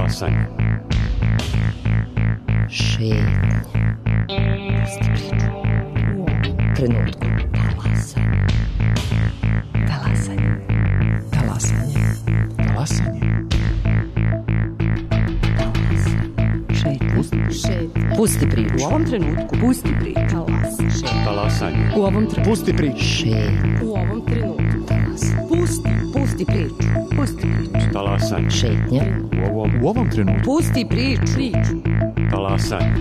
Talasanje. Šetnje. Pusti priču. U ovom trenutku. Talasanje. Talasanje. Talasanje. Pusti priču. U ovom trenutku. Pusti priču. Talasanje. U ovom trenutku. Pusti priču. Šetnje. U ovom trenutku. Pusti priču. Pusti priču. Talasanje. Šetnje. U ovom trenutku. Pusti priču. Talasanje.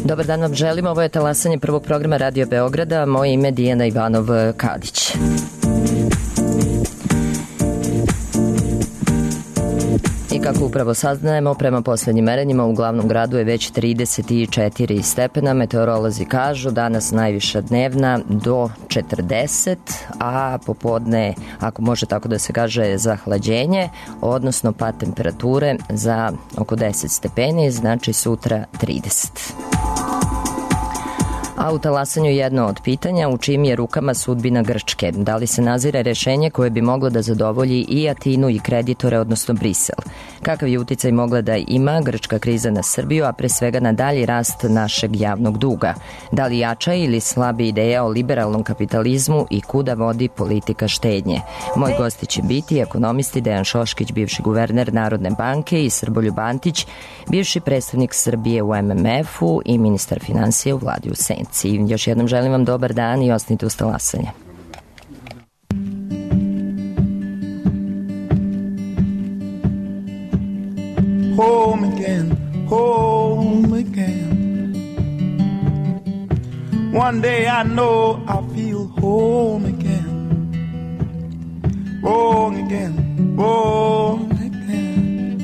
Dobar dan vam želim, ovo je talasanje prvog programa Radio Beograda, moje ime je Dijana Ivanov-Kadić. I kako upravo saznajemo, prema poslednjim merenjima u glavnom gradu je već 34 stepena, meteorolozi kažu danas najviša dnevna do 40, a popodne, ako može tako da se kaže, zahlađenje, odnosno pad temperature za oko 10 stepeni, znači sutra 30. A u talasanju jedno od pitanja, u čijim je rukama sudbina Grčke? Da li se nazire rešenje koje bi moglo da zadovolji i Atinu i kreditore, odnosno Brisel? Kakav je uticaj mogla da ima grčka kriza na Srbiju, a pre svega na dalji rast našeg javnog duga? Da li jača ili slabi ideja o liberalnom kapitalizmu i kuda vodi politika štednje? Moj gosti će biti ekonomisti Dejan Šoškić, bivši guverner Narodne banke, i Srboljub Antić, bivši predstavnik Srbije u MMF-u i ministar finansija u vladi u Senci. Još jednom želim vam dobar dan i ostanite uz talasanje. Home again, home again. One day I know I feel home again. Wrong again, wrong again.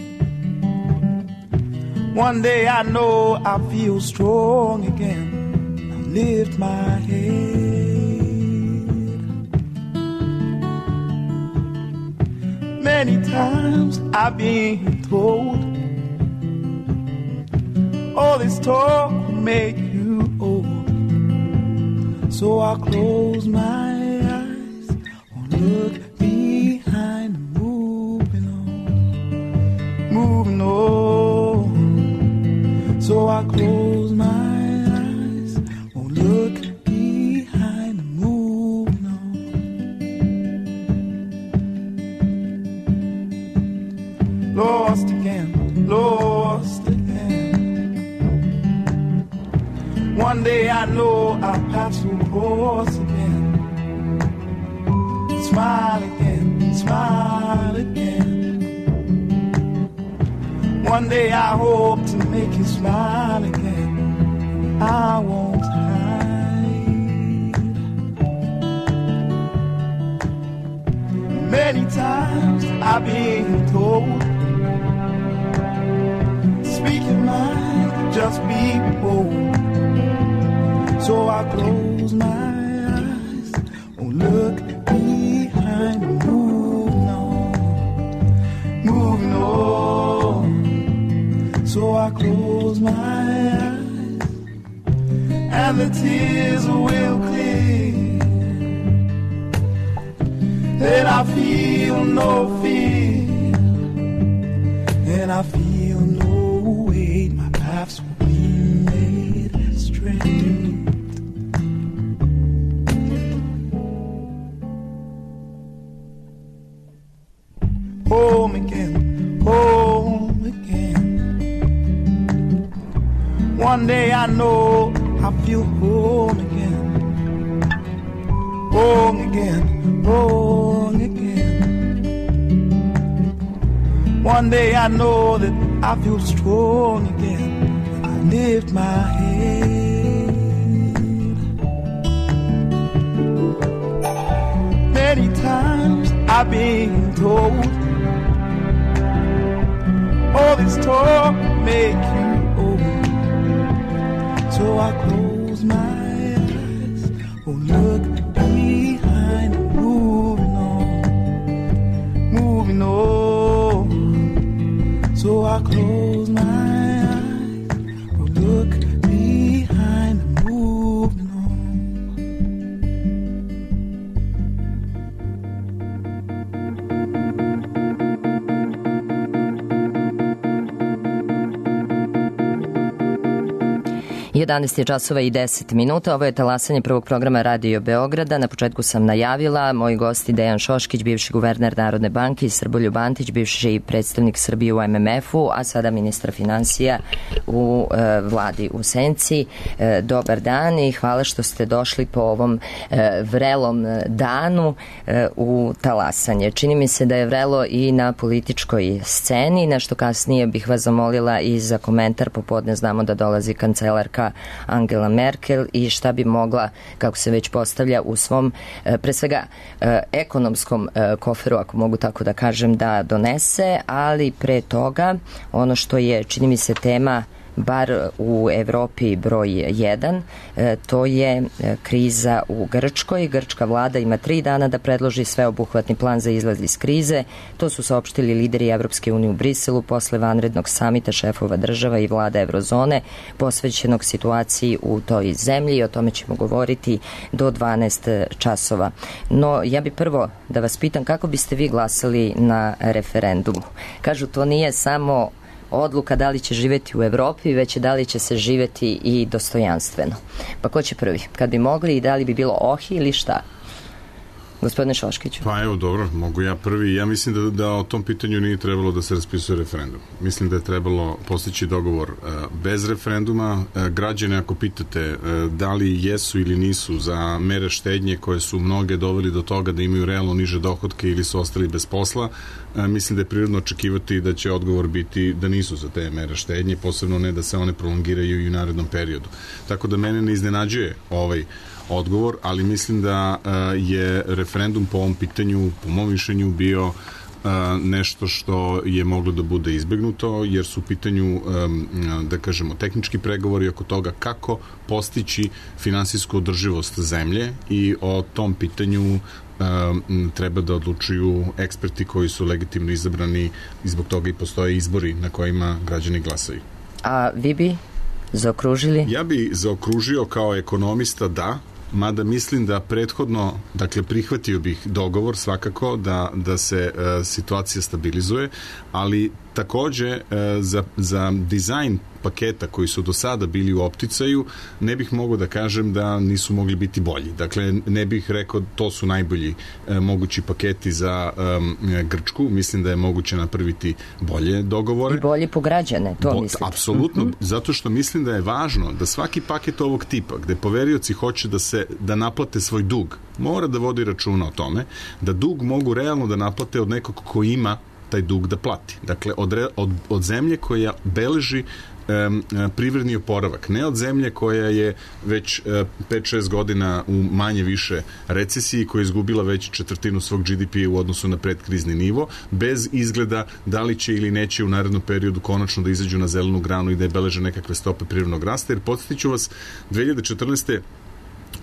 One day I know I feel strong again. Lift my head. Many times I've been told, all this talk will make you old. So I close my eyes, won't look behind, moving on, moving on. So I close my eyes, look behind and moving on. Lost again, lost again. One day I know I'll pass across again. Smile again, smile again. One day I hope to make you smile again. I won't hide. Many times I've been told, speak your mind, just be bold. So I close my eyes, won't look behind, moving on, moving on. So I close my eyes, and the tears will clear, then I feel no fear, and I feel no weight. My paths will be made straight. Home again, home again. One day I know I feel home again. Wrong again, wrong again. One day I know that I feel strong again. I lift my head. Many times I've been told, all this talk make you So I close my eyes, oh look behind, moving on. So I close my eyes, oh look behind, moving on. 11 je časova i 10 minuta. Ovo je talasanje prvog programa Radio Beograda. Na početku sam najavila moji gosti Dejan Šoškić, bivši guverner Narodne banke, i Srboljub Antić, bivši predstavnik Srbije u MMF-u, a sada ministar finansija u vladi u Senci. Dobar dan i hvala što ste došli po ovom vrelom danu u talasanje. Čini mi se da je vrelo i na političkoj sceni. Nešto kasnije bih vas zamolila i za komentar. Popodne znamo da dolazi kancelarka Angela Merkel i šta bi mogla, kako se već postavlja, u svom pre svega ekonomskom koferu, ako mogu tako da kažem, da donese, ali pre toga ono što je, čini mi se, tema bar u Evropi broj 1, to je kriza u Grčkoj. Grčka vlada ima 3 dana da predloži sveobuhvatni plan za izlaz iz krize. To su saopštili lideri Evropske unije u Briselu posle vanrednog samita šefova država i vlada Evrozone posvećenog situaciji u toj zemlji, i o tome ćemo govoriti do 12 časova. No, ja bi prvo da vas pitam kako biste vi glasali na referendumu. Kažu, to nije samo odluka da li će živjeti u Evropi, već da li će se živjeti i dostojanstveno. Pa ko će prvi? Kad bi mogli, i da li bi bilo ohi ili šta? Gospodine Šoškiću. Pa evo, dobro, mogu ja prvi. Ja mislim da o tom pitanju nije trebalo da se raspisuje referendum. Mislim da je trebalo postići dogovor bez referenduma. Građane, ako pitate da li jesu ili nisu za mere štednje koje su mnoge doveli do toga da imaju realno niže dohotke ili su ostali bez posla, mislim da je prirodno očekivati da će odgovor biti da nisu za te mere štednje, posebno ne da se one prolongiraju i u narednom periodu. Tako da mene ne iznenađuje ovaj odgovor, ali mislim da je referendum po ovom pitanju, po mom mišljenju, bio nešto što je moglo da bude izbegnuto, jer su u pitanju, da kažemo, tehnički pregovori oko toga kako postići finansijsku održivost zemlje, i o tom pitanju treba da odlučuju eksperti koji su legitimno izabrani, i zbog toga i postoje izbori na kojima građani glasaju. A vi bi zaokružili? Ja bi zaokružio kao ekonomista da, mada mislim da prethodno, dakle, prihvatio bih dogovor svakako da se situacija stabilizuje, ali takođe za dizajn paketa koji su do sada bili u opticaju ne bih mogao da kažem da nisu mogli biti bolji. Dakle, ne bih rekao to su najbolji mogući paketi za Grčku. Mislim da je moguće napraviti bolje dogovore. I bolje po građane, to mislite? Apsolutno, zato što mislim da je važno da svaki paket ovog tipa, gde poverioci hoće da naplate svoj dug, mora da vodi računa o tome da dug mogu realno da naplate od nekog ko ima taj dug da plati. Dakle, od zemlje koja beleži privredni oporavak, ne od zemlje koja je već 5-6 godina u manje više recesiji, koja je izgubila već četvrtinu svog GDP u odnosu na predkrizni nivo, bez izgleda da li će ili neće u narednom periodu konačno da izađu na zelenu granu i da je beleže nekakve stope privrednog rasta, jer podsjetiću vas, 2014.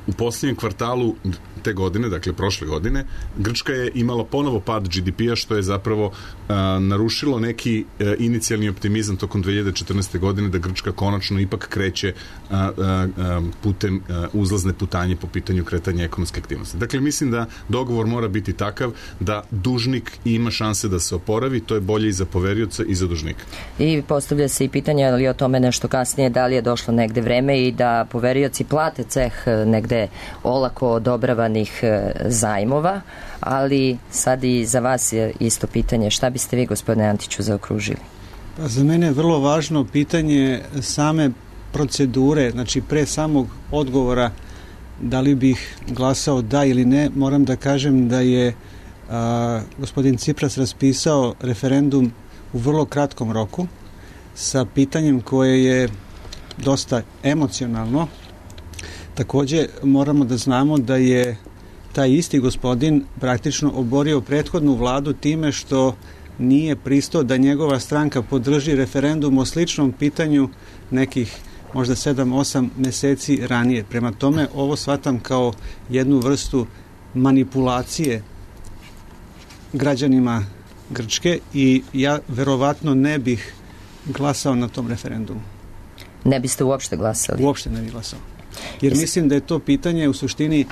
u posljednjem kvartalu te godine, dakle prošle godine, Grčka je imala ponovo pad GDP-a, što je zapravo narušilo neki inicijalni optimizam tokom 2014. godine da Grčka konačno ipak kreće putem uzlazne putanje po pitanju kretanja ekonomske aktivnosti. Dakle, mislim da dogovor mora biti takav da dužnik ima šanse da se oporavi, to je bolje i za poverioca i za dužnika. I postavlja se i pitanje, ali o tome nešto kasnije, da li je došlo negde vreme i da poverioci plate ceh negde olako odobravanih zajmova, ali sad i za vas je isto pitanje. Šta biste vi, gospodine Antiću, zaokružili? Pa za mene je vrlo važno pitanje same procedure, znači pre samog odgovora da li bih glasao da ili ne. Moram da kažem da je gospodin Cipras raspisao referendum u vrlo kratkom roku sa pitanjem koje je dosta emocionalno. Takođe moramo da znamo da je taj isti gospodin praktično oborio prethodnu vladu time što nije pristao da njegova stranka podrži referendum o sličnom pitanju nekih možda 7-8 meseci ranije. Prema tome, ovo shvatam kao jednu vrstu manipulacije građanima Grčke i ja verovatno ne bih glasao na tom referendumu. Ne biste uopšte glasali? Uopšte ne bih glasao. Jer mislim da je to pitanje u suštini,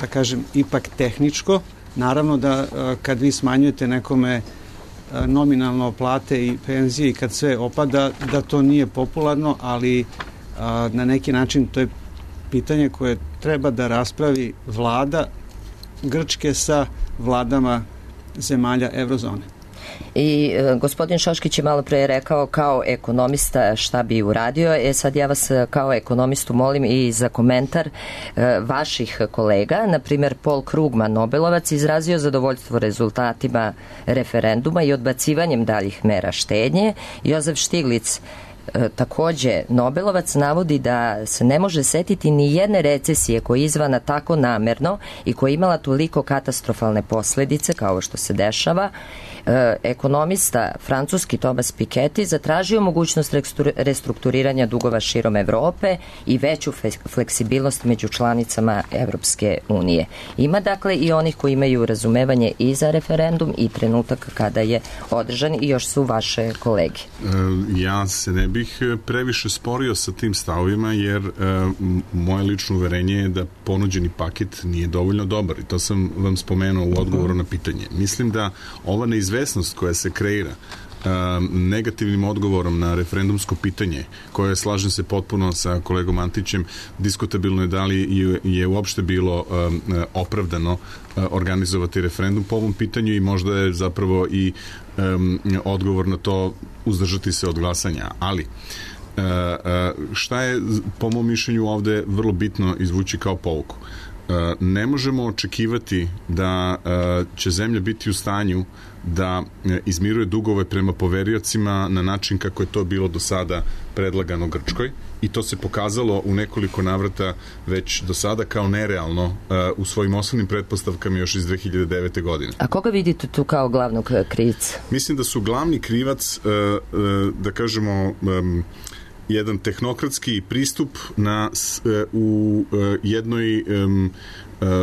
da kažem, ipak tehničko. Naravno da kad vi smanjujete nekome nominalno plate i penzije i kad sve opada, da to nije popularno, ali na neki način to je pitanje koje treba da raspravi vlada Grčke sa vladama zemalja eurozone. I gospodin Šoškić je malo pre rekao kao ekonomista šta bi uradio. Sad ja vas kao ekonomistu molim i za komentar vaših kolega. Naprimer, Paul Krugman, Nobelovac, izrazio zadovoljstvo rezultatima referenduma i odbacivanjem daljih mera štednje. Jozef Štiglic, takođe Nobelovac, navodi da se ne može setiti ni jedne recesije koja je izvana tako namerno i koja je imala toliko katastrofalne posledice kao što se dešava. Ekonomista francuski Thomas Piketty zatražio mogućnost restrukturiranja dugova širom Evrope i veću fleksibilnost među članicama Evropske unije. Ima dakle i onih koji imaju razumevanje i za referendum i trenutak kada je održan i još su vaše kolege. Ja se ne bih previše sporio sa tim stavovima jer moje lično uverenje je da ponuđeni paket nije dovoljno dobar i to sam vam spomenuo u odgovoru na pitanje. Mislim da ova neizvesnost koja se kreira negativnim odgovorom na referendumsko pitanje, koje slažem se potpuno sa kolegom Antićem, diskutabilno je da li je uopšte bilo opravdano organizovati referendum po ovom pitanju i možda je zapravo i odgovor na to uzdržati se od glasanja. Ali šta je po mom mišljenju ovde vrlo bitno izvući kao pouku? Ne možemo očekivati da će zemlja biti u stanju da izmiruje dugove prema poveriocima na način kako je to bilo do sada predlagano Grčkoj i to se pokazalo u nekoliko navrata već do sada kao nerealno u svojim osnovnim pretpostavkama još iz 2009. godine. A koga vidite tu kao glavnog krivca? Mislim da su glavni krivac, da kažemo, jedan tehnokratski pristup u jednoj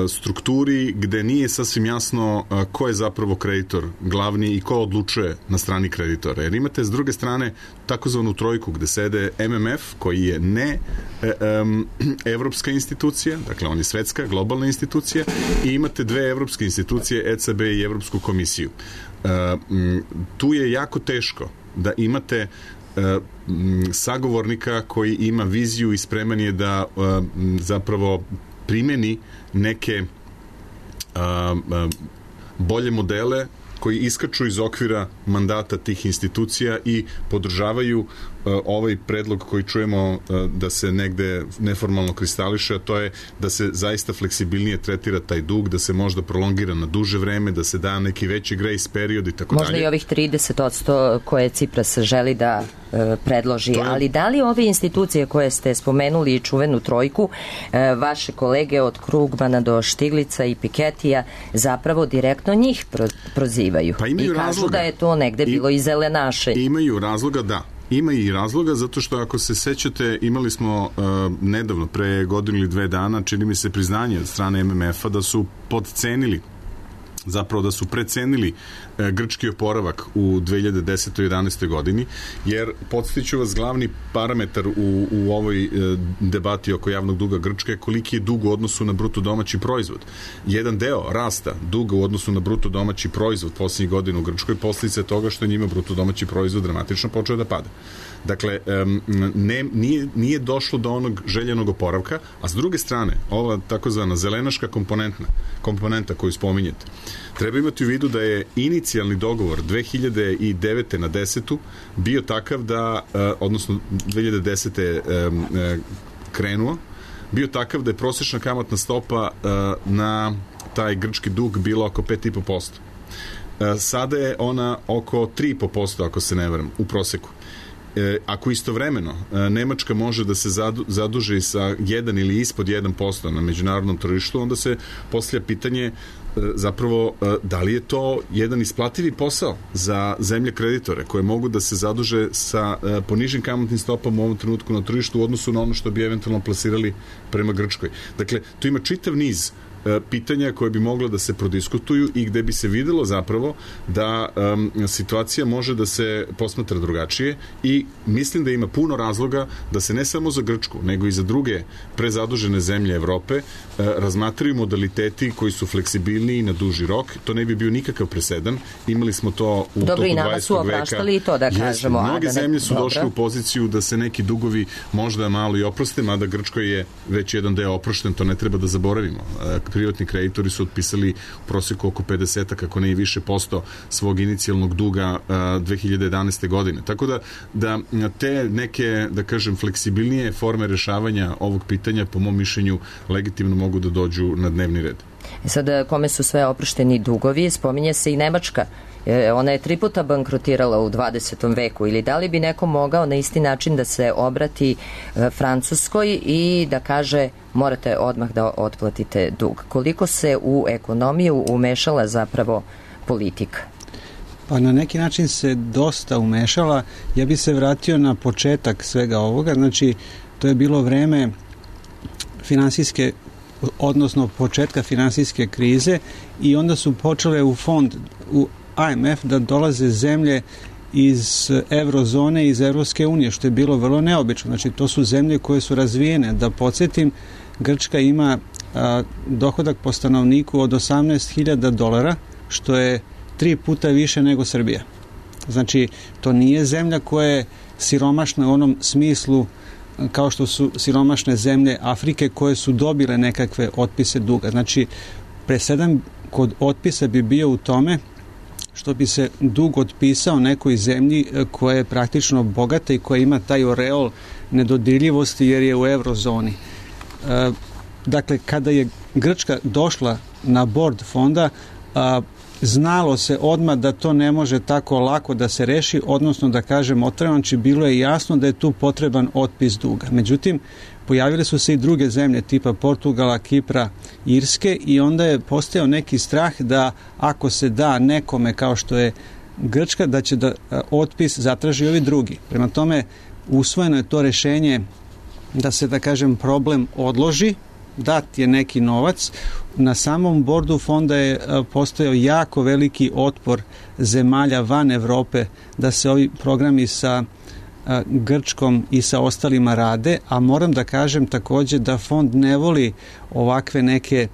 strukturi gde nije sasvim jasno ko je zapravo kreditor glavni i ko odlučuje na strani kreditora. Jer imate s druge strane takozvanu trojku gde sede MMF koji je ne evropska institucija, dakle on je svetska, globalna institucija i imate dve evropske institucije, ECB i Evropsku komisiju. Tu je jako teško da imate sagovornika koji ima viziju i spreman je da zapravo primeni neke bolje modele koji iskaču iz okvira mandata tih institucija i podržavaju ovaj predlog koji čujemo da se negde neformalno kristališe, a to je da se zaista fleksibilnije tretira taj dug, da se možda prolongira na duže vreme, da se da neki veći grace period i tako dalje. Možda i ovih 30% koje Cipras želi da predloži, ali da li ove institucije koje ste spomenuli i čuvenu trojku, vaše kolege od Krugmana do Štiglica i Piketija zapravo direktno njih prozivaju i kažu da je to negde bilo i zelenaše. Imaju razloga, da. Ima i razloga, zato što ako se sećate, imali smo nedavno, pre godinu ili 2 dana, čini mi se priznanje od strane MMF-a da su podcenili, zapravo da su precenili grčki oporavak u 2010. i 2011. godini, jer podsjetiću vas, glavni parametar u ovoj debati oko javnog duga Grčke je koliki je dug u odnosu na bruto domaći proizvod. Jedan deo rasta duga u odnosu na bruto domaći proizvod posljednjih godina u Grčkoj posljedica je toga što je njima bruto domaći proizvod dramatično počeo da pada. Dakle, nije došlo do onog željenog oporavka, a s druge strane, ova takozvana zelenaška komponenta koju spominjete, treba imati u vidu da je inicijalni dogovor 2009. na 10. bio takav da, odnosno 2010. Krenuo, bio takav da je prosječna kamatna stopa na taj grčki dug bila oko 5,5%. Sada je ona oko 3,5%, ako se ne varam, u proseku. Ako istovremeno Nemačka može da se zaduži sa 1 ili ispod 1% na međunarodnom tržištu, onda se postavlja pitanje zapravo da li je to jedan isplativi posao za zemlje kreditore koje mogu da se zaduže sa ponižim kamatnim stopama u ovom trenutku na tržištu u odnosu na ono što bi eventualno plasirali prema Grčkoj. Dakle, tu ima čitav niz pitanja koje bi mogla da se prodiskutuju i gde bi se videlo zapravo da situacija može da se posmatra drugačije i mislim da ima puno razloga da se ne samo za Grčku, nego i za druge prezadužene zemlje Evrope razmatraju modaliteti koji su fleksibilniji na duži rok. To ne bi bio nikakav presedan. Imali smo to u toku 20. veka. Dobro, i nama su opraštali i to da kažemo. Mnoge zemlje su došle u poziciju da se neki dugovi možda malo i oproste, mada Grčkoj je već jedan deo oprošten, to ne treba da zaboravimo. Privatni kreditori su otpisali u prosjeku oko 50, kako ne i više posto svog inicijalnog duga 2011. godine. Tako da te neke, da kažem, fleksibilnije forme rešavanja ovog pitanja, po mom mišljenju, legitimno mogu da dođu na dnevni red. Sad, kome su sve oprošteni dugovi, spominje se i Nemačka. Ona je 3 puta bankrotirala u 20. veku, ili da li bi neko mogao na isti način da se obrati Francuskoj i da kaže morate odmah da otplatite dug? Koliko se u ekonomiju umešala zapravo politika? Pa na neki način se dosta umešala. Ja bi se vratio na početak svega ovoga. Znači, to je bilo vreme finansijske, odnosno početka finansijske krize i onda su počele u fond, u IMF da dolaze zemlje iz eurozone, iz Evropske unije, što je bilo vrlo neobično. Znači, to su zemlje koje su razvijene. Da podsjetim, Grčka ima dohodak po stanovniku od $18.000, što je 3 puta više nego Srbija. Znači, to nije zemlja koja je siromašna u onom smislu kao što su siromašne zemlje Afrike koje su dobile nekakve otpise duga. Znači, presedan kod otpisa bi bio u tome što bi se dug otpisao nekoj zemlji koja je praktično bogata i koja ima taj oreol nedodirljivosti jer je u eurozoni. Dakle, kada je Grčka došla na bord fonda, znalo se odmah da to ne može tako lako da se reši, odnosno da kažem otvoreno, bilo je jasno da je tu potreban otpis duga. Međutim, pojavile su se i druge zemlje tipa Portugala, Kipra, Irske i onda je postojao neki strah da ako se da nekome kao što je Grčka, da će da otpis zatraži ovi drugi. Prema tome, usvojeno je to rešenje da se, da kažem, problem odloži, dat je neki novac. Na samom bordu fonda je postojao jako veliki otpor zemalja van Evrope da se ovi programi sa Grčkom i sa ostalima rade, a moram da kažem takođe da fond ne voli ovakve neke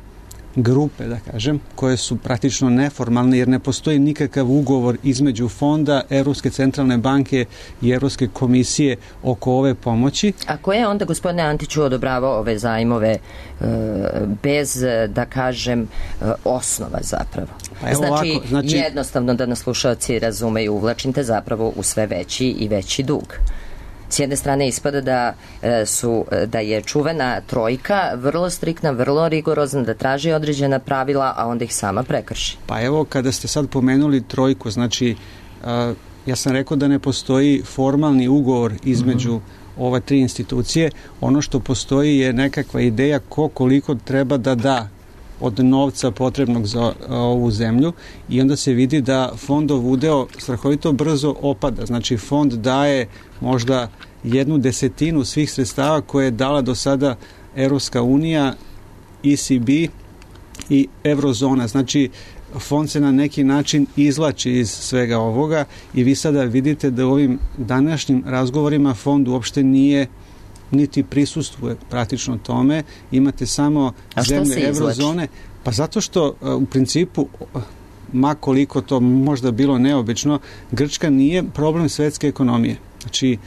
grupe, da kažem, koje su praktično neformalne jer ne postoji nikakav ugovor između fonda, Evropske centralne banke i Evropske komisije oko ove pomoći. A ko je onda, gospodine Antiću, odobravao ove zajmove bez, da kažem, osnova zapravo? Pa znači, ovako, jednostavno da nas slušalci razumeju, uvlačite zapravo u sve veći i veći dug. S jedne strane ispada da je čuvena trojka vrlo striktna, vrlo rigorozna, da traži određena pravila, a onda ih sama prekrši. Pa evo, kada ste sad pomenuli trojku, znači, ja sam rekao da ne postoji formalni ugovor između ova 3 institucije. Ono što postoji je nekakva ideja koliko treba da da od novca potrebnog za ovu zemlju i onda se vidi da fondov udeo strahovito brzo opada. Znači, fond daje možda 1/10 svih sredstava koje je dala do sada Evropska unija, ECB i Eurozona. Znači, fond se na neki način izvlači iz svega ovoga i vi sada vidite da u ovim današnjim razgovorima fond uopšte nije niti prisustvuje praktično tome. Imate samo zemlje Eurozone. Pa zato što u principu, ma koliko to možda bilo neobično, Grčka nije problem svetske ekonomije. Znači,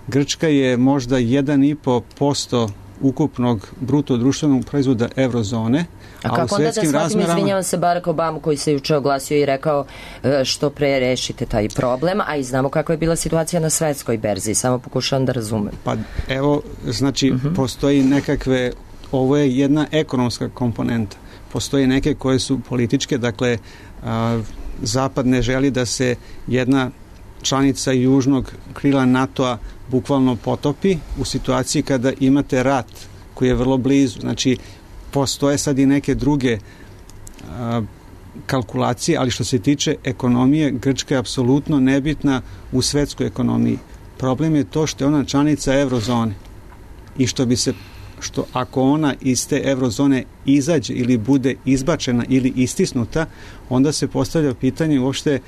Grčka je možda 1,5% ukupnog bruto društvenog proizvoda Eurozone. A kako onda da shvatim, izvinjavam se, Barack Obama koji se juče oglasio i rekao što pre rešite taj problem, a i znamo kako je bila situacija na svetskoj berzi, samo pokušavam da razumem. Pa evo, znači, postoji nekakve, ovo je jedna ekonomska komponenta. Postoje neke koje su političke, dakle, Zapad ne želi da se jedna članica južnog krila NATO-a bukvalno potopi u situaciji kada imate rat koji je vrlo blizu. Znači, postoje sad i neke druge kalkulacije, ali što se tiče ekonomije, Grčka je apsolutno nebitna u svetskoj ekonomiji. Problem je to što je ona članica eurozone i što ako ona iz te eurozone izađe ili bude izbačena ili istisnuta, onda se postavlja pitanje uopšte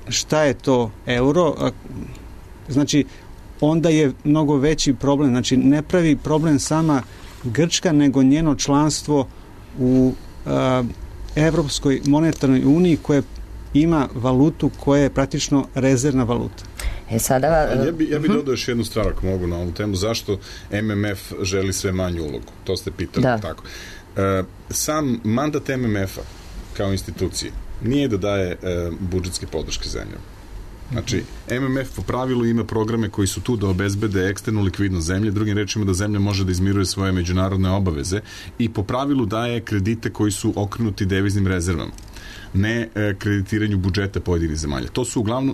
šta je to euro. Znači, onda je mnogo veći problem. Znači, ne pravi problem sama Grčka, nego njeno članstvo u Evropskoj monetarnoj uniji koja ima valutu koja je praktično rezervna valuta. Sada... Ja bi dodao još jednu stvar ako mogu na ovu temu. Zašto MMF želi sve manju ulogu? To ste pitali. Da. Tako. Sam mandat MMF-a kao institucije nije da daje budžetske podrške zemljama. Znači, MMF po pravilu ima programe koji su tu da obezbede eksternu likvidnost zemlje, drugim rečima da zemlja može da izmiruje svoje međunarodne obaveze i po pravilu daje kredite koji su okrenuti deviznim rezervama, ne kreditiranju budžeta pojedinih zemalja.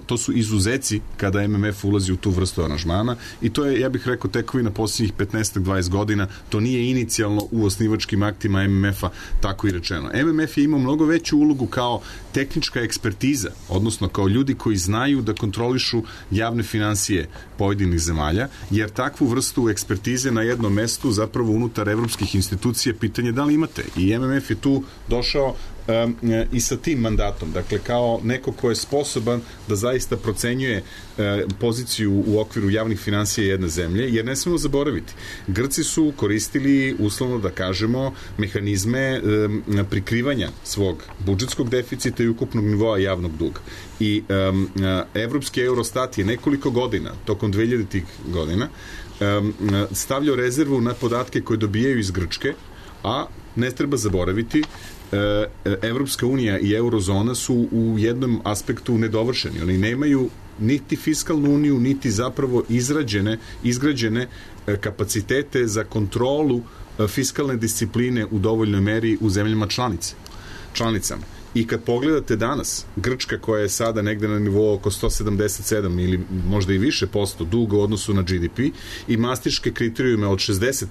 To su izuzeci kada MMF ulazi u tu vrstu aranžmana i to je, ja bih rekao, tekovina posljednjih 15-20 godina. To nije inicijalno u osnivačkim aktima MMF-a tako i rečeno. MMF je imao mnogo veću ulogu kao tehnička ekspertiza, odnosno kao ljudi koji znaju da kontrolišu javne finansije pojedinih zemalja, jer takvu vrstu ekspertize na jednom mestu zapravo unutar evropskih institucija pitanje da li imate. I MMF je tu došao i sa tim mandatom, dakle kao neko ko je sposoban da zaista procenjuje poziciju u okviru javnih finansija jedne zemlje, jer ne smemo zaboraviti, Grci su koristili, uslovno da kažemo, mehanizme prikrivanja svog budžetskog deficita i ukupnog nivoa javnog duga. I Evropski Eurostat je nekoliko godina, tokom 2000-ih godina, stavljao rezervu na podatke koje dobijaju iz Grčke, a ne treba zaboraviti, Evropska unija i eurozona su u jednom aspektu nedovršeni. Oni nemaju niti fiskalnu uniju, niti zapravo izgrađene kapacitete za kontrolu fiskalne discipline u dovoljnoj meri u zemljama članicama. I kad pogledate danas, Grčka koja je sada negde na nivou oko 177 ili možda i više posto duga u odnosu na GDP i mastriške kriterijume od 60%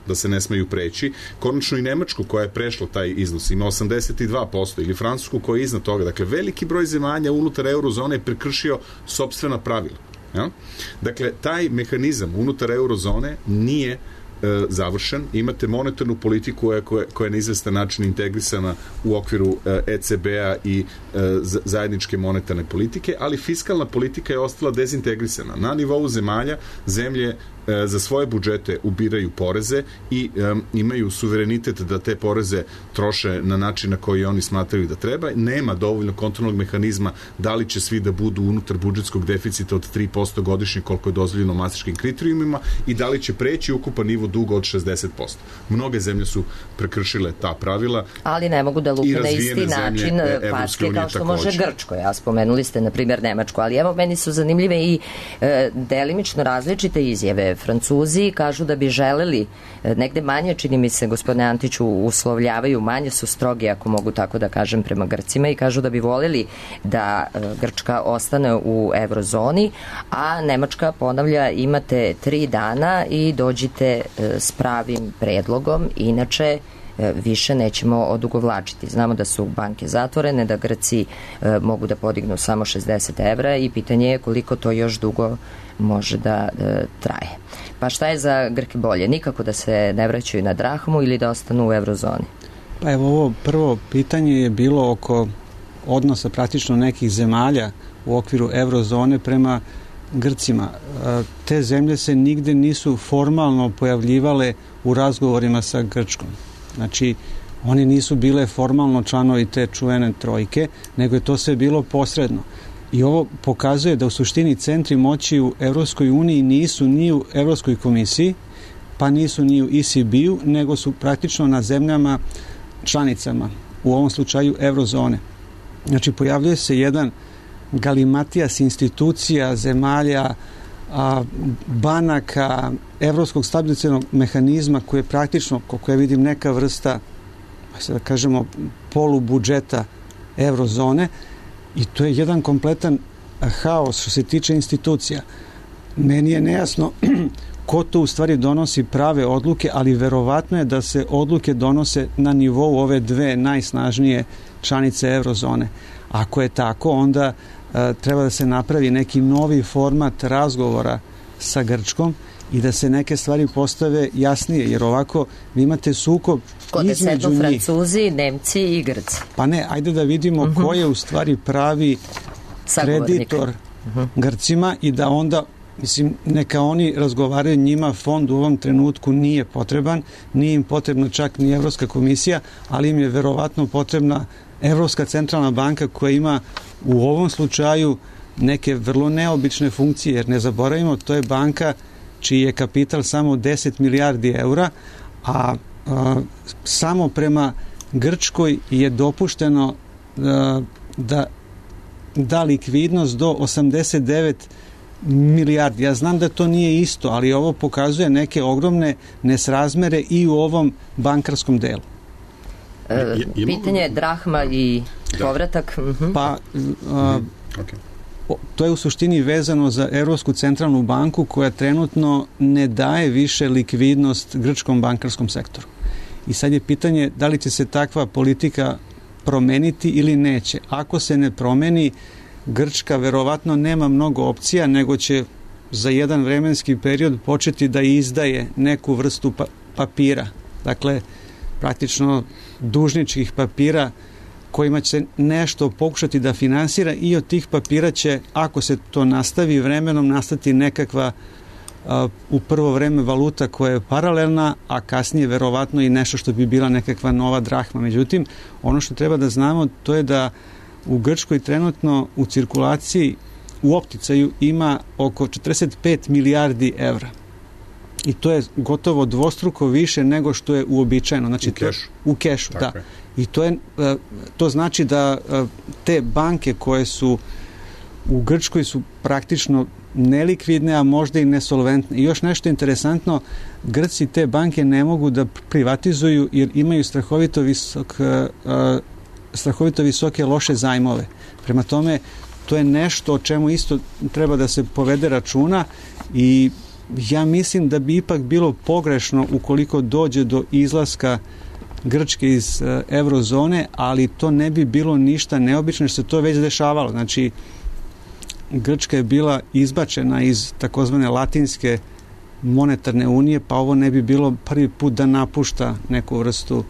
da se ne smeju preći, konačno i Nemačku koja je prešla taj iznos ima 82% ili Francusku koja je iznad toga. Dakle, veliki broj zemalja unutar eurozone je prekršio sopstvena pravila. Ja? Dakle, taj mehanizam unutar eurozone nije završen. Imate monetarnu politiku koja je na izvestan način integrisana u okviru ECB-a i zajedničke monetarne politike, ali fiskalna politika je ostala dezintegrisana. Na nivou zemlje za svoje budžete ubiraju poreze i imaju suverenitet da te poreze troše na način na koji oni smatraju da treba. Nema dovoljno kontrolnog mehanizma da li će svi da budu unutar budžetskog deficita od 3% godišnje koliko je dozvoljeno mastriškim kriterijumima i da li će preći ukupan nivo duga od 60%. Mnoge zemlje su prekršile ta pravila. Ali ne mogu da lupe na isti način packe kao što može Grčko. Ja spomenuli ste, na primjer, Nemačku, ali evo, meni su zanimljive i delimično različite izjave. Francuzi kažu da bi želeli negde manje, čini mi se, gospodine Antiću, uslovljavaju, manje su strogi, ako mogu tako da kažem, prema Grcima i kažu da bi voljeli da Grčka ostane u eurozoni, a Nemačka ponavlja, imate 3 dana i dođite s pravim predlogom, inače više nećemo odugovlačiti. Znamo da su banke zatvorene, da Grci mogu da podignu samo 60 evra i pitanje je koliko to još dugo može da traje. Pa šta je za Grke bolje? Nikako da se ne vraćaju na drahmu ili da ostanu u eurozoni? Pa evo, ovo prvo pitanje je bilo oko odnosa praktično nekih zemalja u okviru eurozone prema Grcima. Te zemlje se nigde nisu formalno pojavljivale u razgovorima sa Grčkom. Znači, oni nisu bile formalno članovi te čuvene trojke, nego je to sve bilo posredno. I ovo pokazuje da u suštini centri moći u Evropskoj uniji nisu ni u Evropskoj komisiji, pa nisu ni u ECB-u, nego su praktično na zemljama članicama, u ovom slučaju eurozone. Znači, pojavljuje se jedan galimatijas institucija, zemalja, banaka, evropskog stabilizacionog mehanizma koji je praktično, koliko ja vidim, neka vrsta, da kažemo, polubudžeta eurozone i to je jedan kompletan haos što se tiče institucija. meni je nejasno ko to u stvari donosi prave odluke, ali verovatno je da se odluke donose na nivou ove dve najsnažnije članice eurozone. Ako je tako, onda treba da se napravi neki novi format razgovora sa Grčkom i da se neke stvari postave jasnije, jer ovako vi imate sukob između njih. Francuzi, Nemci i Grci. Pa ne, ajde da vidimo ko je u stvari pravi kreditor Grcima i da onda, mislim, neka oni razgovaraju, njima fond u ovom trenutku nije potreban, nije im potrebna čak ni Evropska komisija, ali im je verovatno potrebna Evropska centralna banka koja ima u ovom slučaju neke vrlo neobične funkcije, jer ne zaboravimo, to je banka čiji je kapital samo 10 milijardi eura, a samo prema Grčkoj je dopušteno da likvidnost do 89 milijardi. Ja znam da to nije isto, ali ovo pokazuje neke ogromne nesrazmere i u ovom bankarskom delu. Pitanje je drahma i povratak. Pa to je u suštini vezano za Evropsku centralnu banku koja trenutno ne daje više likvidnost grčkom bankarskom sektoru. I sad je pitanje da li će se takva politika promeniti ili neće. Ako se ne promeni, Grčka verovatno nema mnogo opcija, nego će za jedan vremenski period početi da izdaje neku vrstu papira. Dakle, praktično dužničkih papira kojima će nešto pokušati da finansira i od tih papira će, ako se to nastavi vremenom, nastati nekakva u prvo vreme valuta koja je paralelna, a kasnije verovatno i nešto što bi bila nekakva nova drahma. Međutim, ono što treba da znamo, to je da u Grčkoj trenutno u cirkulaciji u opticaju ima oko 45 milijardi evra. I to je gotovo dvostruko više nego što je uobičajeno. Znači, u kešu, da. I to znači da te banke koje su u Grčkoj su praktično nelikvidne, a možda i nesolventne. I još nešto interesantno, Grci te banke ne mogu da privatizuju jer imaju strahovito visoke loše zajmove. Prema tome, to je nešto o čemu isto treba da se povede računa i ja mislim da bi ipak bilo pogrešno ukoliko dođe do izlaska Grčke iz eurozone, ali to ne bi bilo ništa neobično jer se to već dešavalo. Znači, Grčka je bila izbačena iz takozvane latinske monetarne unije, pa ovo ne bi bilo prvi put da napušta neku vrstu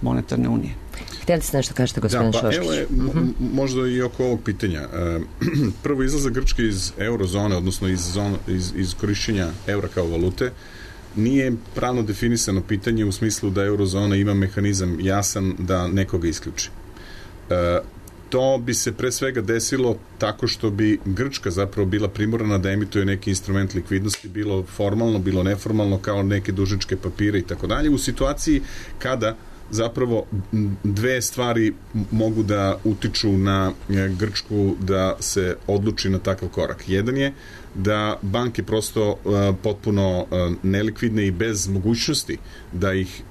monetarne unije. Htjeli ste nešto kažete, gospodin Šoškić? Evo je, možda i oko ovog pitanja. Prvo, izlazak Grčke iz eurozone, odnosno iz korišćenja eura kao valute, nije pravno definisano pitanje u smislu da eurozona ima mehanizam jasan da nekoga isključi. To bi se pre svega desilo tako što bi Grčka zapravo bila primorana da emituje neki instrument likvidnosti, bilo formalno, bilo neformalno, kao neke dužničke papire i tako dalje, u situaciji kada zapravo dve stvari mogu da utiču na Grčku da se odluči na takav korak. Jedan je da banke prosto potpuno nelikvidne i bez mogućnosti da ih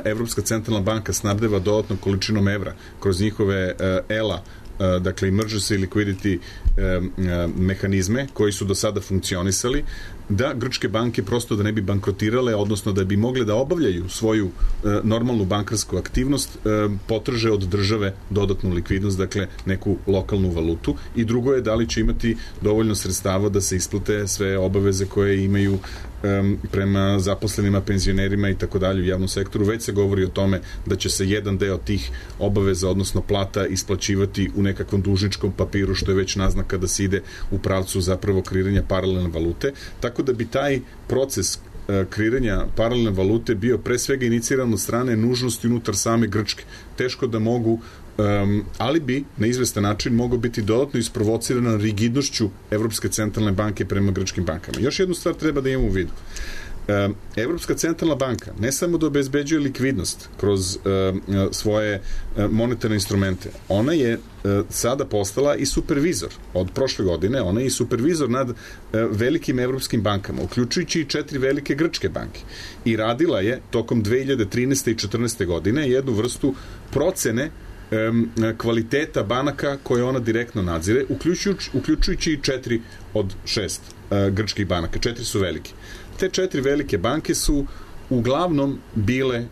Evropska centralna banka snabdeva dodatnom količinom evra kroz njihove ELA, dakle emergency liquidity mehanizme koji su do sada funkcionisali, da grčke banke prosto da ne bi bankrotirale, odnosno da bi mogle da obavljaju svoju normalnu bankarsku aktivnost, potraže od države dodatnu likvidnost, dakle neku lokalnu valutu, i drugo je da li će imati dovoljno sredstava da se isplate sve obaveze koje imaju prema zaposlenima, penzionerima i tako dalje u javnom sektoru. Već se govori o tome da će se jedan deo tih obaveza, odnosno plata, isplaćivati u nekakvom dužničkom papiru, što je već naznaka da se ide u pravcu zapravo kreiranja paralelne valute. Tako da bi taj proces kreiranja paralelne valute bio pre svega iniciran od strane nužnosti unutar same Grčke. Teško da mogu, ali bi na izvestan način mogao biti dodatno isprovocirana rigidnošću Evropske centralne banke prema grčkim bankama. Još jednu stvar treba da imamo u vidu. Evropska centralna banka ne samo da obezbeđuje likvidnost kroz svoje monetarne instrumente, ona je sada postala i supervizor. Od prošle godine ona je i supervizor nad velikim evropskim bankama, uključujući i 4 velike grčke banke. I radila je tokom 2013. i 2014. godine jednu vrstu procene kvaliteta banaka koje ona direktno nadzire, uključujući i 4 od 6 grčkih banaka. 4 su velike. Te 4 velike banke su uglavnom bile,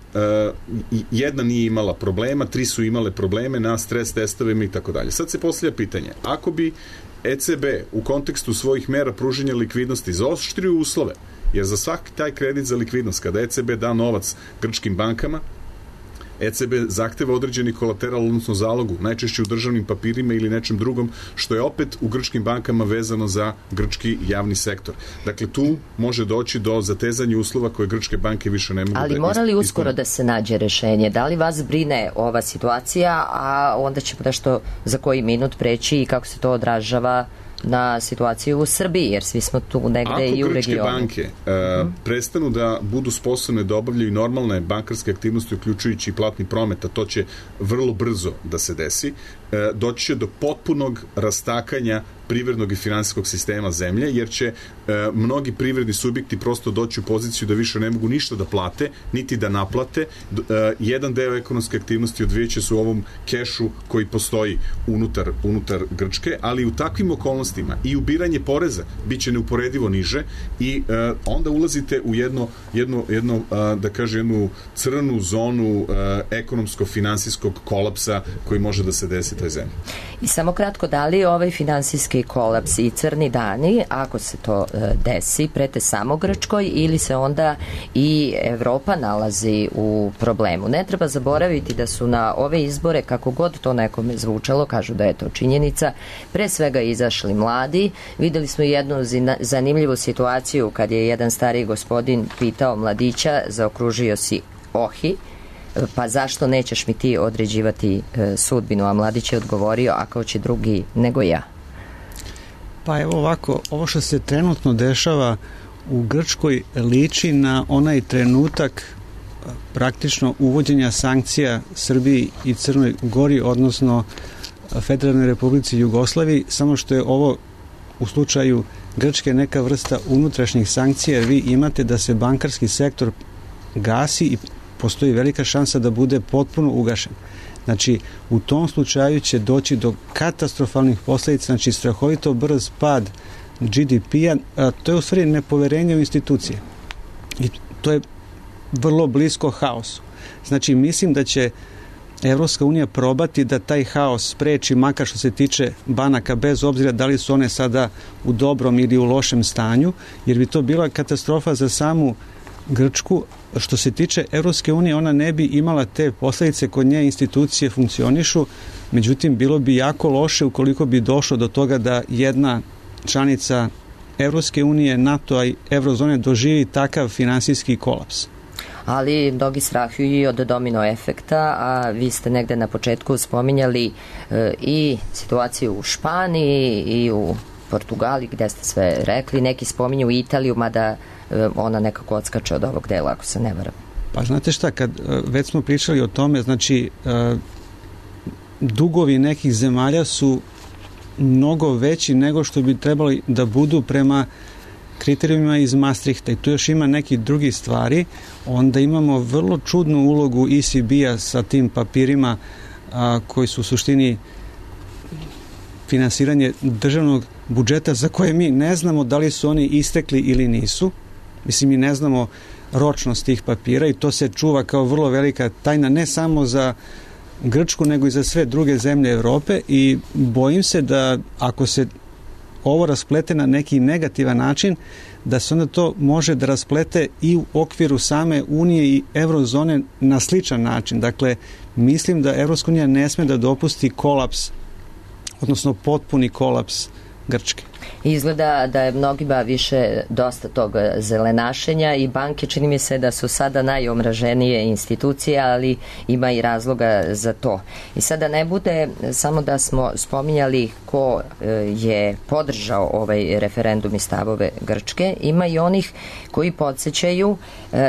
jedna nije imala problema, 3 su imale probleme na stres testovima i tako dalje. Sad se postavlja pitanje, ako bi ECB u kontekstu svojih mera pruženja likvidnosti zaoštrio uslove, jer za svaki taj kredit za likvidnost, kada ECB da novac grčkim bankama, ECB zahteva određeni kolateral, odnosno zalogu, najčešće u državnim papirima ili nečem drugom, što je opet u grčkim bankama vezano za grčki javni sektor. Dakle, tu može doći do zatezanja uslova koje grčke banke više ne mogu. Ali mora li uskoro da se nađe rešenje? Da li vas brine ova situacija, a onda ćemo nešto za koji minut preći i kako se to odražava na situaciju u Srbiji, jer svi smo tu negde i u regionu. Ako grčke banke prestanu da budu sposobne da obavljaju normalne bankarske aktivnosti, uključujući i platni promet, a to će vrlo brzo da se desi, doći će do potpunog rastakanja privrednog i finansijskog sistema zemlje, jer će mnogi privredni subjekti prosto doći u poziciju da više ne mogu ništa da plate, niti da naplate. Jedan deo ekonomske aktivnosti odvijeće se u ovom kešu koji postoji unutar Grčke, ali u takvim okolnostima i ubiranje poreza biće neuporedivo niže i onda ulazite u jednu da kaže, jednu crnu zonu ekonomsko-finansijskog kolapsa koji može da se desi toj zemlji. I samo kratko, da li ovaj finansijski kolaps i crni dani, ako se to desi, prete samo Grčkoj ili se onda i Evropa nalazi u problemu? Ne treba zaboraviti da su na ove izbore, kako god to nekome zvučalo, kažu da je to činjenica, pre svega izašli mladi. Videli smo jednu zanimljivu situaciju kad je jedan stariji gospodin pitao mladića, zaokružio si ohi, pa zašto nećeš mi ti određivati sudbinu? A mladić je odgovorio, a kao će drugi nego ja. Pa evo ovako, ovo što se trenutno dešava u Grčkoj liči na onaj trenutak praktično uvođenja sankcija Srbiji i Crnoj Gori, odnosno Federalnoj Republici Jugoslaviji, samo što je ovo u slučaju Grčke neka vrsta unutrašnjih sankcija, jer vi imate da se bankarski sektor gasi i postoji velika šansa da bude potpuno ugašen. Znači, u tom slučaju će doći do katastrofalnih posljedica, znači strahovito brz pad GDP-a, to je u stvari nepoverenje u institucije. I to je vrlo blisko haosu. Znači, mislim da će Evropska unija probati da taj haos spreči, makar što se tiče banaka, bez obzira da li su one sada u dobrom ili u lošem stanju, jer bi to bila katastrofa za samu Grčku. Što se tiče Evropske unije, ona ne bi imala te posljedice, kod nje institucije funkcionišu, međutim bilo bi jako loše ukoliko bi došlo do toga da jedna članica Evropske unije, NATO-a i Eurozone doživi takav finansijski kolaps. Ali mnogi strahuju i od domino efekta, a vi ste negde na početku spominjali i situaciju u Španiji i u Portugali, gde ste sve rekli, neki spominju Italiju, mada ona nekako odskače od ovog dela, ako se ne varam. Pa znate šta, kad već smo pričali o tome, znači dugovi nekih zemalja su mnogo veći nego što bi trebali da budu prema kriterijumima iz Maastrichta i tu još ima neki drugi stvari. Onda imamo vrlo čudnu ulogu ECB-a sa tim papirima koji su u suštini finansiranje državnog budžeta za koje mi ne znamo da li su oni istekli ili nisu. Mislim, mi ne znamo ročnost tih papira i to se čuva kao vrlo velika tajna ne samo za Grčku nego i za sve druge zemlje Evrope i bojim se da ako se ovo rasplete na neki negativan način, da se onda to može da rasplete i u okviru same Unije i Eurozone na sličan način. Dakle, mislim da Evropska unija ne sme da dopusti kolaps, odnosno potpuni kolaps Grčke. Izgleda da je mnogima više dosta tog zelenašenja i banke, čini mi se da su sada najomraženije institucije, ali ima i razloga za to. I sada ne bude samo da smo spominjali ko je podržao ovaj referendum i stavove Grčke, ima i onih koji podsjećaju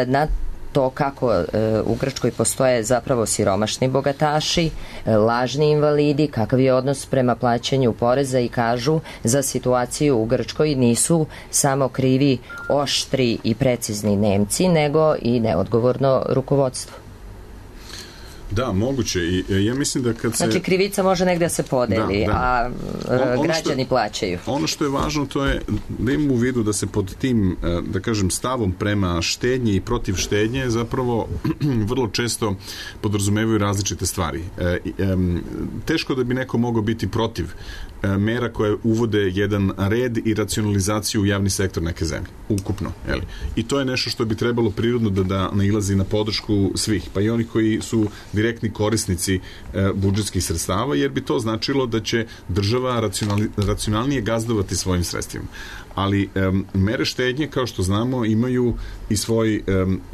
na to kako u Grčkoj postoje zapravo siromašni bogataši, lažni invalidi, kakav je odnos prema plaćanju poreza i kažu za situaciju u Grčkoj nisu samo krivi oštri i precizni Nemci, nego i neodgovorno rukovodstvo. Da, moguće. I ja mislim da kad se... Znači, krivica može negde da se podeli, a građani plaćaju. Ono što je važno, to je da imamo u vidu da se pod tim, da kažem, stavom prema štednji i protiv štednje zapravo vrlo često podrazumevaju različite stvari. Teško da bi neko mogao biti protiv mera koje uvode jedan red i racionalizaciju u javni sektor neke zemlje, ukupno. Jeli? I to je nešto što bi trebalo prirodno da nailazi na podršku svih, pa i oni koji su direktni korisnici budžetskih sredstava, jer bi to značilo da će država racionalnije gazdovati svojim sredstvima. Ali mere štednje, kao što znamo, imaju i svoj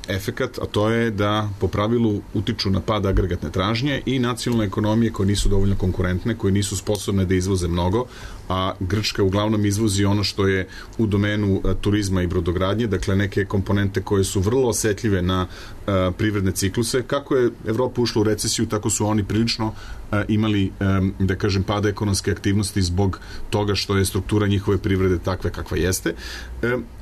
efekat, a to je da po pravilu utiču na pad agregatne tražnje i nacionalne ekonomije koje nisu dovoljno konkurentne, koje nisu sposobne da izvoze mnogo, a Grčka uglavnom izvozi ono što je u domenu turizma i brodogradnje, dakle neke komponente koje su vrlo osetljive na privredne cikluse. Kako je Evropa ušla u recesiju, tako su oni prilično imali, da kažem, pada ekonomske aktivnosti zbog toga što je struktura njihove privrede takve kakva jeste.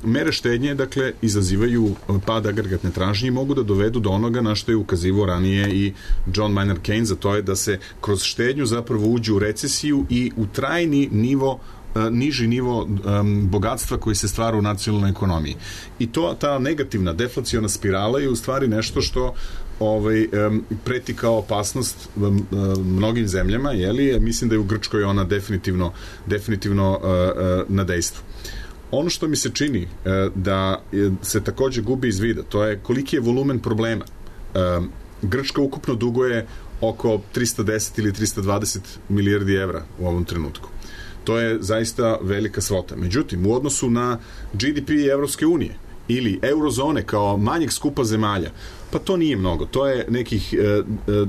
Mere štednje, dakle, izazivaju pad agregatne tražnje i mogu da dovedu do onoga na što je ukazivao ranije i John Maynard Keynes, a to je da se kroz štednju zapravo uđe u recesiju i u trajni niži nivo bogatstva koji se stvara u nacionalnoj ekonomiji. I ta negativna deflaciona spirala je u stvari nešto što preti kao opasnost mnogim zemljama, jeli? Mislim da je u Grčkoj ona definitivno na dejstvu. Ono što mi se čini da se takođe gubi iz vida, to je koliki je volumen problema. Grčka ukupno duguje oko 310 ili 320 milijardi evra u ovom trenutku. To je zaista velika svota. Međutim, u odnosu na GDP Evropske unije ili eurozone kao manjeg skupa zemalja, pa to nije mnogo. To je nekih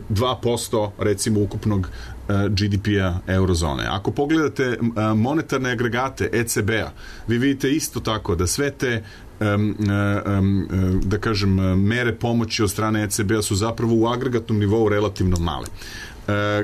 2% recimo ukupnog GDP-a eurozone. Ako pogledate monetarne agregate ECB-a, vi vidite isto tako da sve te da kažem mere pomoći od strane ECB-a su zapravo u agregatnom nivou relativno male.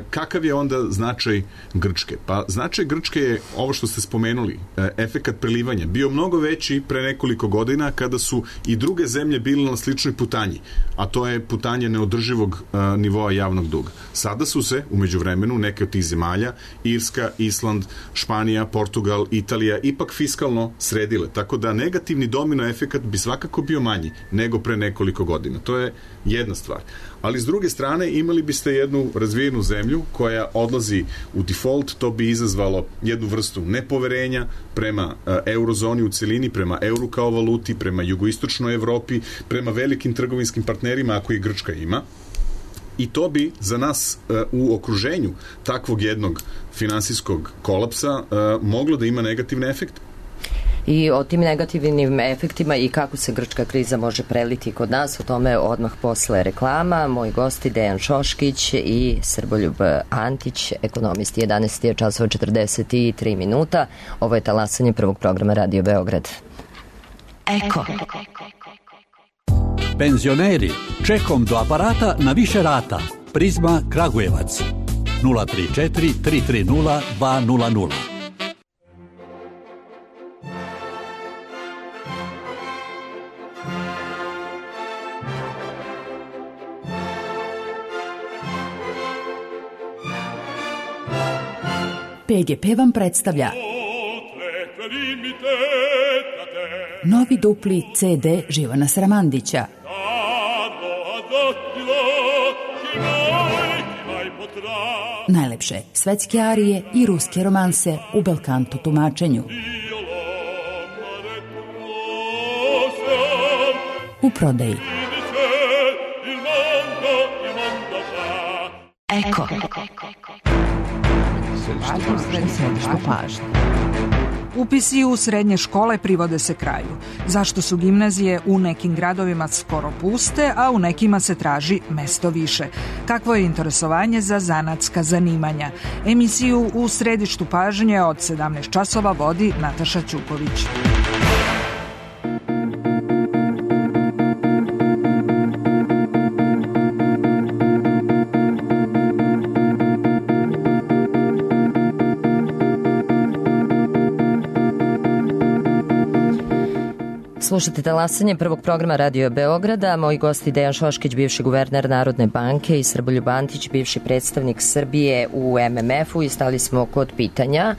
Kakav je onda značaj Grčke? Pa značaj Grčke je ovo što ste spomenuli, efekat prelivanja, bio mnogo veći pre nekoliko godina kada su i druge zemlje bile na sličnoj putanji, a to je putanje neodrživog nivoa javnog duga. Sada su se, u međuvremenu, neke od tih zemalja, Irska, Island, Španija, Portugal, Italija, ipak fiskalno sredile, tako da negativni domino efekat bi svakako bio manji nego pre nekoliko godina. To je jedna stvar. Ali s druge strane imali biste jednu razvijenu zemlju koja odlazi u default, to bi izazvalo jednu vrstu nepoverenja prema eurozoni u celini, prema euru kao valuti, prema jugoistočnoj Evropi, prema velikim trgovinskim partnerima, ako i Grčka ima. I to bi za nas u okruženju takvog jednog finansijskog kolapsa moglo da ima negativne efekte. I o tim negativnim efektima i kako se grčka kriza može preliti kod nas, o tome odmah posle reklama. Moji gosti Dejan Šoškić i Srboljub Antić, ekonomisti. 11 je časova 43 minuta. Ovo je talasanje prvog programa Radio Beograd. Eko. Penzioneri, čekom do aparata na više rata. Prizma Kragujevac 034 330 200. PGP vam predstavlja novi dupli CD Živana Sramandića. Najlepše svetske arije i ruske romanse u belkanto tumačenju. U prodaji. Eko. Upisi u srednje škole privode se kraju. Zašto su gimnazije u nekim gradovima skoro puste, a u nekima se traži mesto više? Kakvo je interesovanje za zanatska zanimanja? Emisiju u središtu pažnje od 17 časova vodi Nataša Ćuković. Slušate talasanje prvog programa Radio Beograda. Moji gosti Dejan Šoškić, bivši guverner Narodne banke, i Srboljub Antić, bivši predstavnik Srbije u MMF-u, i stali smo kod pitanja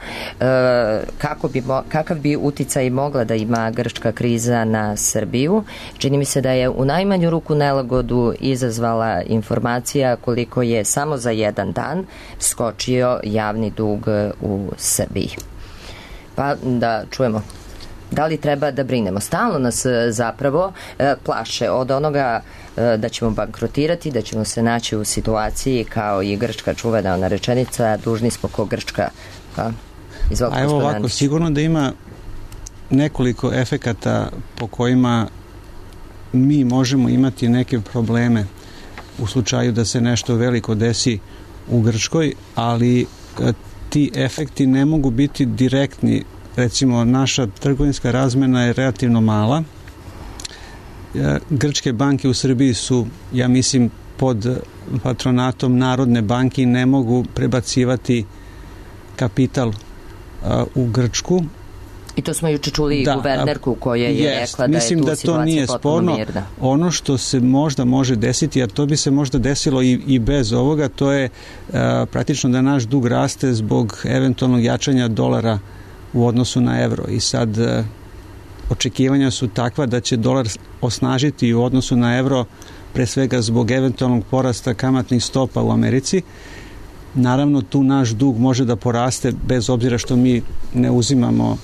kakav bi uticaj mogla da ima grčka kriza na Srbiju. Čini mi se da je u najmanju ruku nelagodu izazvala informacija koliko je samo za jedan dan skočio javni dug u Srbiji. Pa da čujemo. Da li treba da brinemo? Stalno nas zapravo plaše od onoga da ćemo bankrotirati, da ćemo se naći u situaciji kao i grčka čuvena ona rečenica, dužni smo ko Grčka. Izvolite, evo ovako, sigurno da ima nekoliko efekata po kojima mi možemo imati neke probleme u slučaju da se nešto veliko desi u Grčkoj, ali ti efekti ne mogu biti direktni. Recimo, naša trgovinska razmena je relativno mala. Grčke banke u Srbiji su, ja mislim, pod patronatom Narodne banke i ne mogu prebacivati kapital u Grčku. I to smo juče čuli i guvernerku koja je rekla da je tu situacija potpuno mirna. Ono što se možda može desiti, a to bi se možda desilo i bez ovoga, to je praktično da naš dug raste zbog eventualnog jačanja dolara u odnosu na evro. I sad očekivanja su takva da će dolar osnažiti u odnosu na evro, pre svega zbog eventualnog porasta kamatnih stopa u Americi. Naravno, tu naš dug može da poraste bez obzira što mi ne uzimamo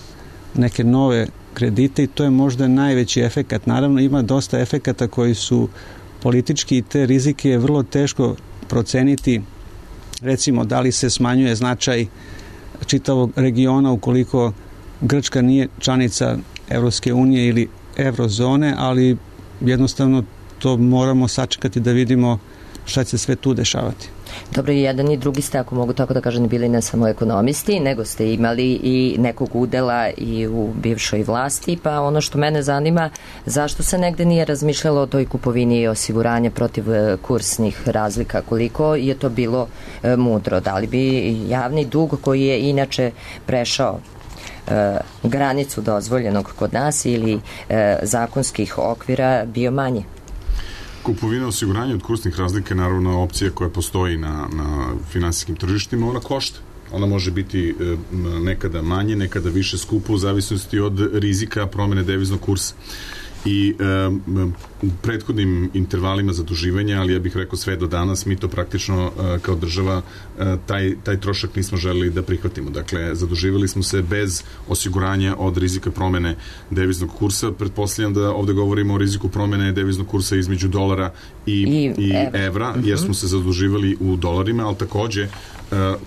neke nove kredite i to je možda najveći efekat. Naravno, ima dosta efekata koji su politički i te rizike je vrlo teško proceniti. Recimo, da li se smanjuje značaj čitavog regiona ukoliko Grčka nije članica Evropske unije ili Eurozone, ali jednostavno to moramo sačekati da vidimo šta će sve tu dešavati. Dobro, i jedan i drugi ste, ako mogu tako da kažem, bili ne samo ekonomisti, nego ste imali i nekog udela i u bivšoj vlasti, pa ono što mene zanima, zašto se negde nije razmišljalo o toj kupovini i osiguranje protiv kursnih razlika, koliko je to bilo mudro? Da li bi javni dug koji je inače prešao granicu dozvoljenog kod nas ili zakonskih okvira bio manje? Kupovina osiguranja od kursnih razlika je naravno opcija koja postoji na finansijskim tržištima. Ona košta. Ona može biti nekada manje, nekada više skupo u zavisnosti od rizika promene deviznog kursa. I u prethodnim intervalima zaduživanja, ali ja bih rekao sve do danas, mi to praktično kao država taj trošak nismo želeli da prihvatimo. Dakle, zaduživali smo se bez osiguranja od rizika promene deviznog kursa. Pretpostavljam da ovde govorimo o riziku promene deviznog kursa između dolara i evra, jer smo se zaduživali u dolarima, ali takođe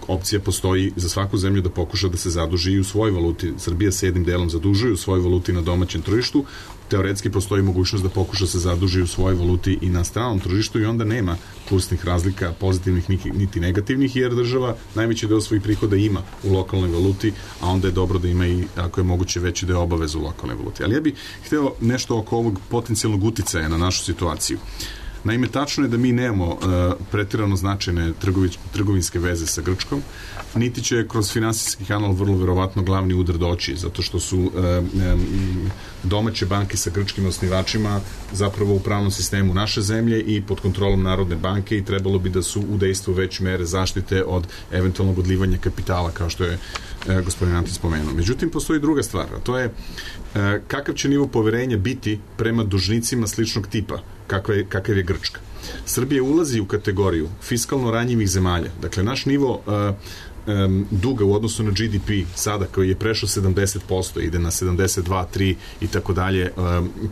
opcija postoji za svaku zemlju da pokuša da se zaduži i u svojoj valuti. Srbija se jednim delom zadužuje u svojoj valuti na domaćem tržištu. Teoretski postoji mogućnost da pokuša se zaduži u svojoj valuti i na stranom tržištu i onda nema kursnih razlika pozitivnih niti negativnih, jer država najveći deo svojih prihoda ima u lokalnoj valuti, a onda je dobro da ima i, ako je moguće, veći deo obaveza u lokalnoj valuti. Ali ja bih hteo nešto oko ovog potencijalnog uticaja na našu situaciju. Naime, tačno je da mi nemamo pretirano značajne trgovinske veze sa Grčkom, niti će kroz finansijski kanal vrlo verovatno glavni udar doći, zato što su domaće banke sa grčkim osnivačima zapravo u pravnom sistemu naše zemlje i pod kontrolom Narodne banke i trebalo bi da su u dejstvu već mere zaštite od eventualnog odlivanja kapitala, kao što je gospodin Antić spomenuo. Međutim, postoji druga stvar, a to je kakav će nivo poverenja biti prema dužnicima sličnog tipa, kakav je Grčka. Srbija ulazi u kategoriju fiskalno ranjivih zemalja. Dakle, naš nivo duga u odnosu na GDP sada koji je prešao 70%, ide na 72, 3 i tako dalje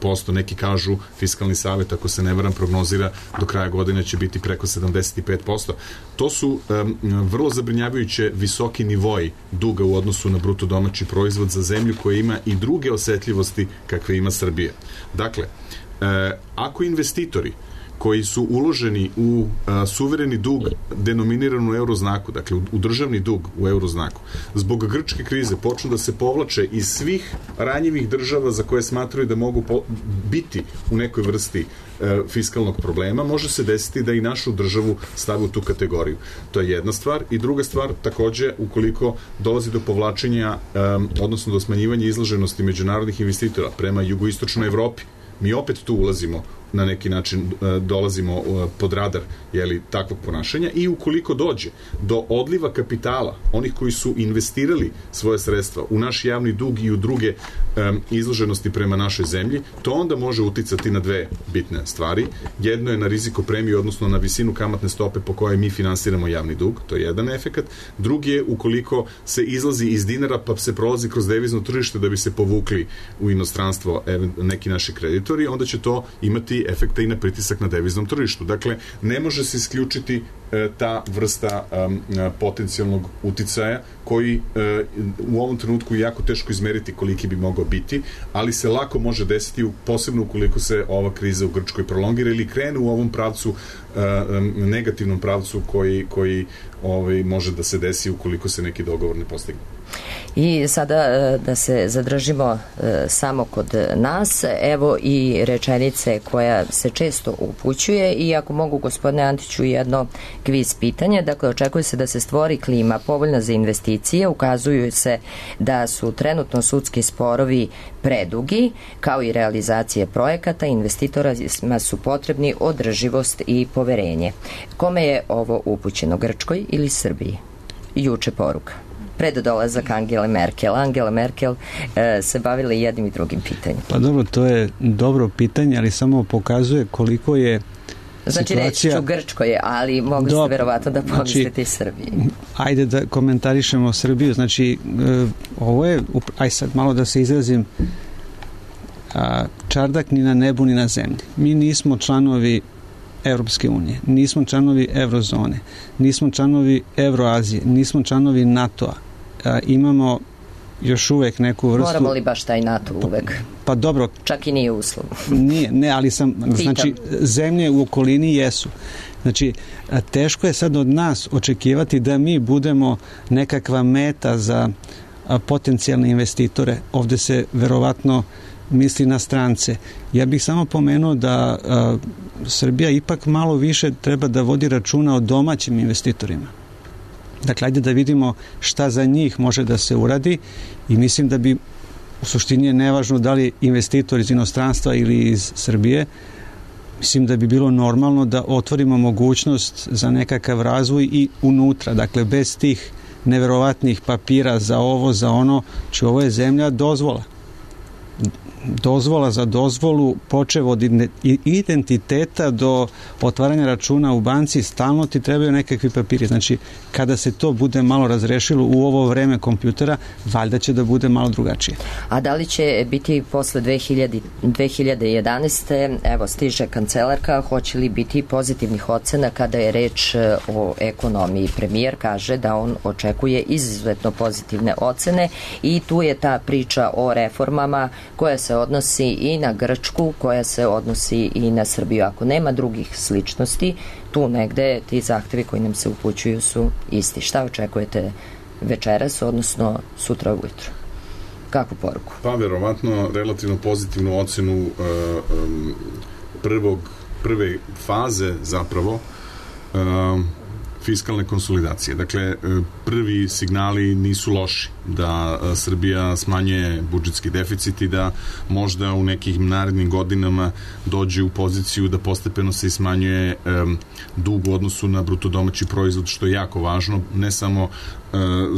posto. Neki kažu, Fiskalni savet, ako se ne varam, prognozira do kraja godine će biti preko 75%. To su vrlo zabrinjavajuće visoki nivoji duga u odnosu na bruto domaći proizvod za zemlju koja ima i druge osetljivosti kakve ima Srbija. Dakle, ako investitori koji su uloženi u suvereni dug denominiran u euroznaku, dakle u državni dug u euroznaku, zbog grčke krize počnu da se povlače iz svih ranjivih država za koje smatraju da mogu biti u nekoj vrsti fiskalnog problema, može se desiti da i našu državu stavi u tu kategoriju. To je jedna stvar. I druga stvar, takođe, ukoliko dolazi do povlačenja, odnosno do smanjivanja izloženosti međunarodnih investitora prema jugoistočnoj Evropi, mi opet tu ulazimo na neki način, dolazimo pod radar takvog ponašanja, i ukoliko dođe do odliva kapitala onih koji su investirali svoje sredstva u naš javni dug i u druge izloženosti prema našoj zemlji, to onda može uticati na dve bitne stvari. Jedno je na rizikopremiju, odnosno na visinu kamatne stope po kojoj mi finansiramo javni dug, to je jedan efekat. Drugi je ukoliko se izlazi iz dinara pa se prolazi kroz devizno tržište da bi se povukli u inostranstvo neki naši kreditori, onda će to imati efekta i na pritisak na deviznom tržištu. Dakle, ne može se isključiti ta vrsta potencijalnog uticaja koji u ovom trenutku je jako teško izmeriti koliki bi mogao biti, ali se lako može desiti, posebno ukoliko se ova kriza u Grčkoj prolongira ili krene u ovom pravcu, negativnom pravcu koji može da se desi ukoliko se neki dogovor ne postigne. I sada da se zadržimo samo kod nas, evo i rečenice koja se često upućuje, i ako mogu, gospodine Antiću, jedno kviz pitanje. Dakle, očekuje se da se stvori klima povoljna za investicije, ukazuju se da su trenutno sudski sporovi predugi, kao i realizacije projekata, investitorima su potrebni održivost i poverenje. Kome je ovo upućeno, Grčkoj ili Srbiji? Juče poruka. Pred dolazak Angele Merkel. Angela Merkel se bavila jednim i drugim pitanjem. Pa dobro, to je dobro pitanje, ali samo pokazuje koliko je znači, situacija... reći ću Grčkoj, ali mogli ste verovatno da pomislite i Srbiji. Ajde da komentarišemo Srbiju. Znači, ovo je, aj sad malo da se izrazim, čardak ni na nebu ni na zemlji. Mi nismo članovi Evropske unije, nismo članovi Eurozone, nismo članovi Evroazije, nismo članovi NATO-a. Imamo još uvek neku vrstu... Moramo li baš taj NATO uvek? Pa dobro. Čak i nije uslov. Nije, ne, ali sam... Znači, zemlje u okolini jesu. Znači, teško je sad od nas očekivati da mi budemo nekakva meta za potencijalne investitore. Ovde se verovatno misli na strance. Ja bih samo pomenuo da Srbija ipak malo više treba da vodi računa o domaćim investitorima. Dakle, ajde da vidimo šta za njih može da se uradi, i mislim da bi u suštini je nevažno da li investitor iz inostranstva ili iz Srbije, mislim da bi bilo normalno da otvorimo mogućnost za nekakav razvoj i unutra. Dakle, bez tih neverovatnih papira za ovo, za ono, či ovo je zemlja dozvola za dozvolu, počev od identiteta do otvaranja računa u banci, stalno ti trebaju nekakvi papiri. Znači, kada se to bude malo razrešilo u ovo vreme kompjutera, valjda će da bude malo drugačije. A da li će biti posle 2011. Evo, stiže kancelarka, hoće li biti pozitivnih ocena kada je reč o ekonomiji? Premijer kaže da on očekuje izuzetno pozitivne ocene, i tu je ta priča o reformama koja se odnosi i na Grčku, koja se odnosi i na Srbiju. Ako nema drugih sličnosti, tu negde ti zahtevi koji nam se upućuju su isti. Šta očekujete večeras, odnosno sutra ujutro? Kakvu poruku? Pa, verovatno, relativno pozitivnu ocenu prve faze zapravo fiskalne konsolidacije. Dakle, prvi signali nisu loši da Srbija smanjuje budžetski deficit i da možda u nekim narednim godinama dođe u poziciju da postepeno se smanjuje dug u odnosu na bruto domaći proizvod, što je jako važno, ne samo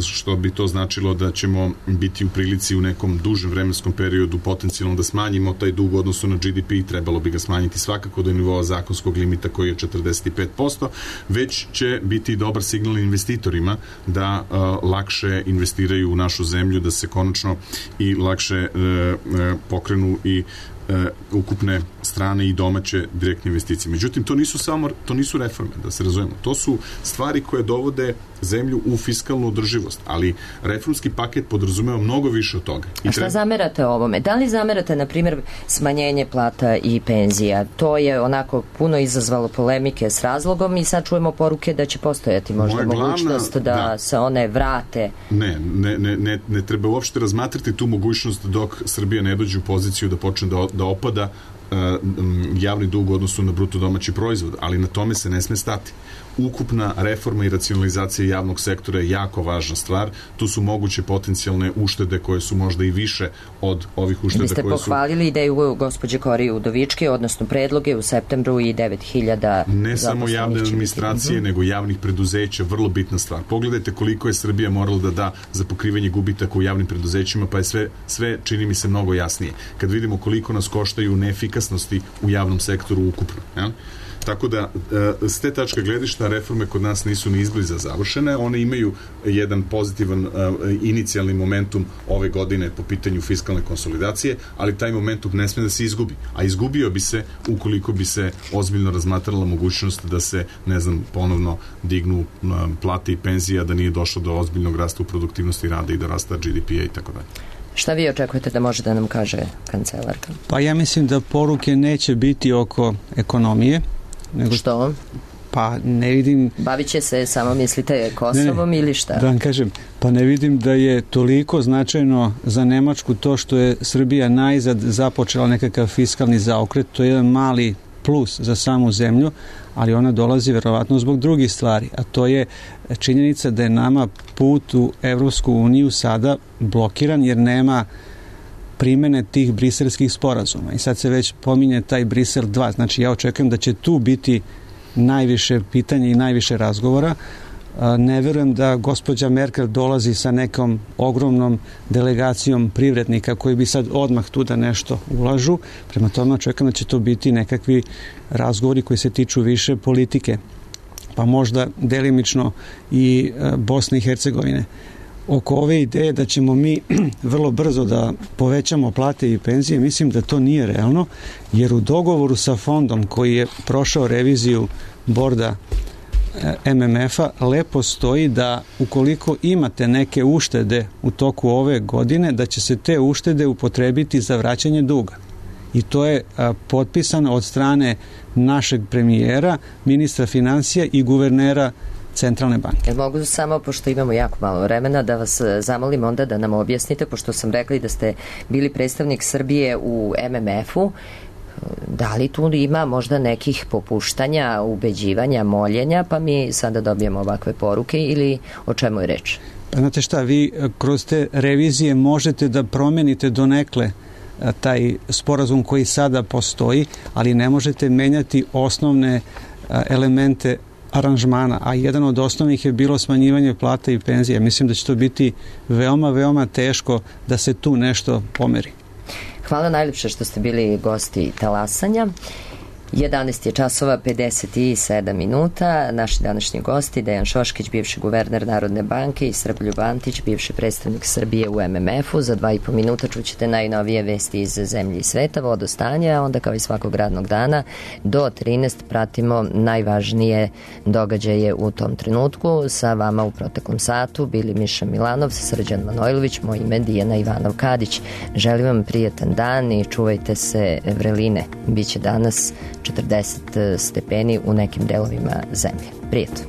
što bi to značilo da ćemo biti u prilici u nekom dužem vremenskom periodu potencijalno da smanjimo taj dug u odnosu na GDP, trebalo bi ga smanjiti svakako do nivoa zakonskog limita koji je 45%, već će biti dobar signal investitorima da lakše investiraju u našu zemlju, da se konačno i lakše pokrenu i ukupne strane i domaće direktne investicije. Međutim, to nisu reforme, da se razumemo. To su stvari koje dovode zemlju u fiskalnu održivost, ali reformski paket podrazumeva mnogo više od toga. A šta zamerate ovome? Da li zamerate, na primjer, smanjenje plata i penzija? To je onako puno izazvalo polemike s razlogom i sad čujemo poruke da će postojati možda mogućnost da se one vrate. Ne treba uopšte razmatrati tu mogućnost dok Srbija ne dođe u poziciju da počne da opada javni dug u odnosu na bruto domaći proizvod, ali na tome se ne sme stati. Ukupna reforma i racionalizacija javnog sektora je jako važna stvar. Tu su moguće potencijalne uštede koje su možda i više od ovih ušteda koje su... Vi ste pohvalili ideju gospođe Korije Udovičke, odnosno predloge u septembru i 9.000 ne samo javne administracije, nego javnih preduzeća, vrlo bitna stvar. Pogledajte koliko je Srbija morala da da za pokrivanje gubitaka u javnim preduzećima, pa je sve čini mi se mnogo jasnije. Kad vidimo koliko nas koštaju neefikasnosti u javnom sektoru ukupno. Ja? Tako da, s te tačke gledišta reforme kod nas nisu ni izbliza završene, one imaju jedan pozitivan inicijalni momentum ove godine po pitanju fiskalne konsolidacije, ali taj momentum ne sme da se izgubi, a izgubio bi se ukoliko bi se ozbiljno razmatrala mogućnost da se, ponovno dignu plate i penzije, da nije došlo do ozbiljnog rasta u produktivnosti rada i do rasta GDP-a i tako dalje. Šta vi očekujete da može da nam kaže kancelarka? Pa ja mislim da poruke neće biti oko ekonomije. Što? Pa ne vidim... Bavit će se samo, mislite, Kosovom ili šta? Da vam kažem, pa ne vidim da je toliko značajno za Nemačku to što je Srbija najzad započela nekakav fiskalni zaokret. To je jedan mali plus za samu zemlju, ali ona dolazi verovatno zbog drugih stvari, a to je činjenica da je nama put u Evropsku uniju sada blokiran jer nema primene tih briselskih sporazuma. I sad se već pominje taj Brisel 2. Znači ja očekujem da će tu biti najviše pitanja i najviše razgovora. Ne verujem da gospođa Merkel dolazi sa nekom ogromnom delegacijom privrednika koji bi sad odmah tu da nešto ulažu. Prema tome očekujem da će to biti nekakvi razgovori koji se tiču više politike. Pa možda delimično i Bosne i Hercegovine. Oko ove ideje da ćemo mi vrlo brzo da povećamo plate i penzije, mislim da to nije realno, jer u dogovoru sa fondom koji je prošao reviziju borda MMF-a lepo stoji da ukoliko imate neke uštede u toku ove godine, da će se te uštede upotrebiti za vraćanje duga. I to je potpisano od strane našeg premijera, ministra financija i guvernera Centralne banke. Mogu samo, pošto imamo jako malo vremena, da vas zamolim onda da nam objasnite, pošto sam rekli da ste bili predstavnik Srbije u MMF-u, da li tu ima možda nekih popuštanja, ubeđivanja, moljenja, pa mi sada dobijemo ovakve poruke ili o čemu je reč? Pa znate šta, vi kroz te revizije možete da promenite donekle taj sporazum koji sada postoji, ali ne možete menjati osnovne elemente aranžmana, a jedan od osnovnih je bilo smanjivanje plata i penzija. Mislim da će to biti veoma, veoma teško da se tu nešto pomeri. Hvala najljepše što ste bili gosti Talasanja. 11 je časova 57 minuta. Naši današnji gosti Dejan Šoškić, bivši guverner Narodne banke, i Srboljub Antić, bivši predstavnik Srbije u MMF-u. Za 2,5 minuta čućete najnovije vesti iz zemlje i sveta, vodostanja, a onda kao i svakog radnog dana do 13 pratimo najvažnije događaje u tom trenutku. Sa vama u proteklom satu bili Miša Milanov, Srđan Manojlović, moj ime Dijana Ivanov Kadić. Želim vam prijatan dan i čuvajte se vreline. Biće danas 40 stepeni u nekim delovima zemlje. Prijatno.